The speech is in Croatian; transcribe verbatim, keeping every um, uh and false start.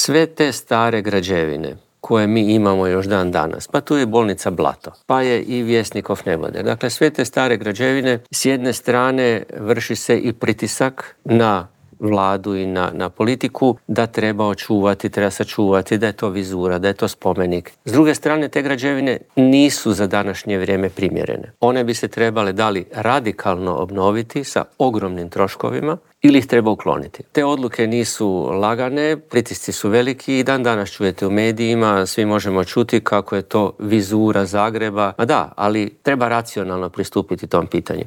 sve te stare građevine koje mi imamo još dan danas, pa tu je bolnica Blato, pa je i Vjesnikov neboder. Dakle, sve te stare građevine, s jedne strane vrši se i pritisak na vladu i na, na politiku da treba očuvati, treba sačuvati, da je to vizura, da je to spomenik. S druge strane, te građevine nisu za današnje vrijeme primjerene. One bi se trebale da li radikalno obnoviti sa ogromnim troškovima ili ih treba ukloniti. Te odluke nisu lagane, pritisci su veliki i dan danas čujete u medijima, svi možemo čuti kako je to vizura Zagreba. Ma da, ali treba racionalno pristupiti tom pitanju.